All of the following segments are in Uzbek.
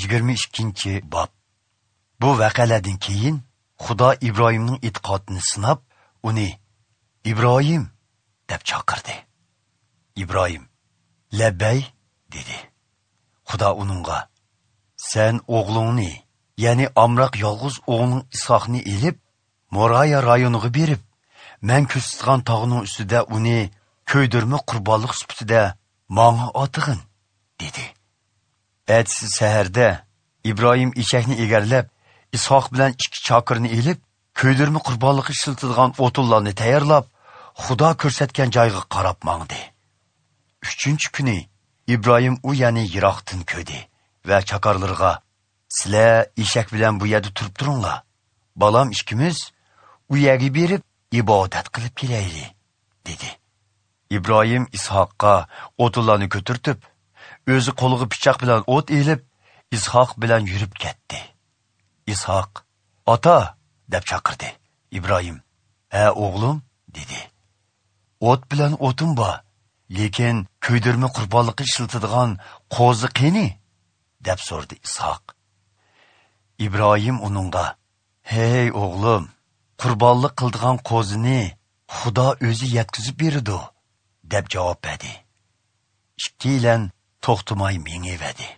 22 bob. Bu voqealardan keyin Xudo Ibrohimning e'tiqodini sinab, uni "Ibrohim" deb chaqirdi. Ibrohim "Labbay" dedi. Xudo uningga: "Sen o'g'lingni, ya'ni amroq yolg'iz o'g'ling Ishoqni elib, Moraya rayoniga berib, men ko'rsatgan tog'ning ustida uni ko'ydirma qurbonlik sifatida manga otig'in" dedi. Ertasi saharda Ibrohim eshakni egarlab, Ishoq bilan ikki chokirni elib, ko'ydirma qurbonlikka ishlatilgan o'tinlarni tayyorlab, Xudo ko'rsatgan joyga qarab mangdi. 3-kuni Ibrohim u ya'ni yiroqdan ko'rdi va chakarlarga: "Sizlar eshak bilan bu yerda turib turinglar. Balam ikkimiz u yerga berib ibodat qilib kelaylik" dedi. Ibrohim Ishoqqa o'tinlarni ko'tartib, o'zi qo'liga pichoq bilan o't elib, Ishoq bilan yurib ketdi. Ishoq: "Ota" deb chaqirdi. Ibrohim: "Ha, o'g'lim" dedi. "O't bilan o'tin bor, lekin ko'ydirma qurbonlikka ishlatiladigan qo'zi qani?" deb so'radi Ishoq. Ibrohim uningga: "Hey o'g'lim, qurbonlik qildigan qo'zini Xudo o'zi yetkazib berdi" deb javob berdi. Ikkilan to'xtamay mengaverdi.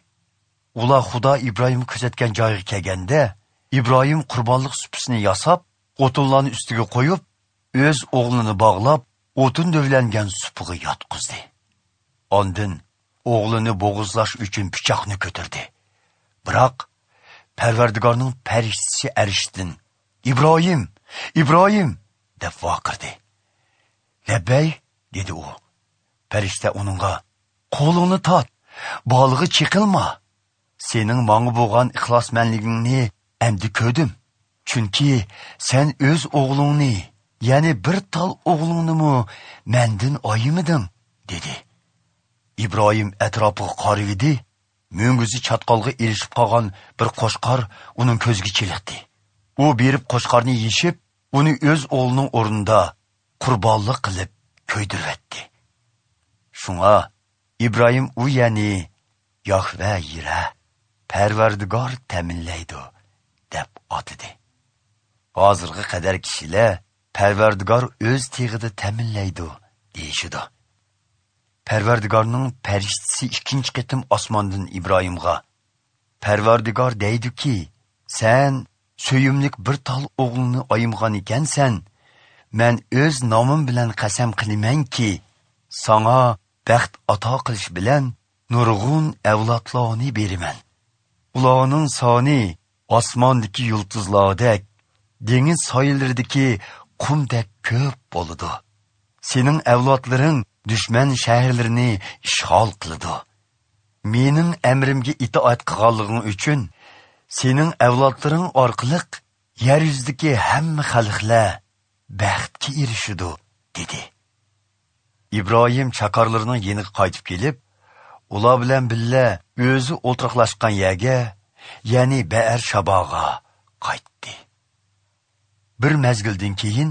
Ular Xudo Ibrohim ko'rsatgan joyga kelganda, Ibrohim qurbonlik supisini yasab, o'tinlarni ustiga qo'yib, o'z o'g'lini bog'lab, o'tin dövlangan supiga yotqizdi. Ondan o'g'lini bo'g'izlash uchun pichoqni ko'tardi. Biroq Parvardigorning farishtasi arshdan "Ibrohim, Ibrohim" deb vaqirdi. "Labbay" dedi u. Farishta uningga: "Qo'lingni tort, bolig'i chiqilma. Sening manga bo'lgan ixlosmandligingni endi ko'rdim. Chunki sen o'z o'g'lingni, ya'ni bir tal o'g'lingni mendan ayimiding" dedi. Ibrohim atrofiga qaradi, mo'nguzi chatqolga erishib qolgan bir qo'shqor uning ko'ziga chiliqdi. U berib qo'shqorni yeshib, uni o'z o'g'lining o'rnida qurbonlik qilib ko'ydirvatdi. Shunga Ibrohim u ya'ni Yahve Yira, Parvardigor ta'minlaydi deb atidi. Hozirgi qadar kishilar Parvardigor o'z teg'ida ta'minlaydi deyishidi. Parvardigorning farishtasi ikkinchi qitim osmondan Ibrohimga: "Parvardigor deydiki, sen so'yimlik bir tal o'g'lini ayimgan ekansan, men o'z nomim bilan qasam qilamanki, sana baxt ato qilish bilan nurg'un avlodlarni beraman. Ularning soni osmondagi yulduzlardek, dengiz soyillaridagi qumdek ko'p bo'ladi. Sening avlodlaring dushman shaharlarini ishg'ol qiladi. Mening amrimga itoat qilganliging uchun sening avlodlaring orqali yer yuzidagi hamma xalqlar baxtga erishadi" dedi. Ibrohim chakarlarining yeniga qaytib kelib, ular bilan birga o'zi o'ltiraqlashgan yerga, ya'ni Beer Shabaga qaytdi. Bir mezgildan keyin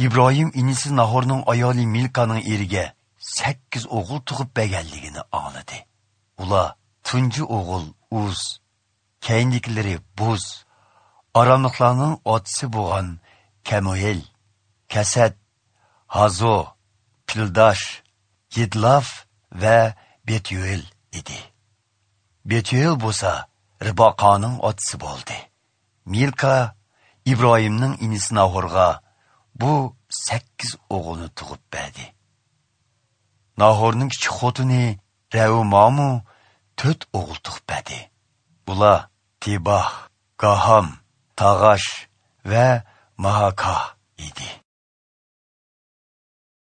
Ibrohim inisi Nahorning ayoli Milkaning eriga 8 o'g'il tug'ib berganligini angladi. Ular tunji o'g'il Uz, keyindikilari Buz, aramlıqlarning otasi bo'lgan Kemuel, Kasad, Hazo, Pildash, Yidlaf va Betuel edi. Betuel bo'lsa Ribaqaning otasi bo'ldi. Milka Ibrohimning inisi Nahorga bu 8 o'g'ilni tug'ib berdi. Nahorning kichik xotini Raumamu 4 o'g'il tug'ib berdi. Bular Tibah, Gaham, Tag'ash va Mahaka edi.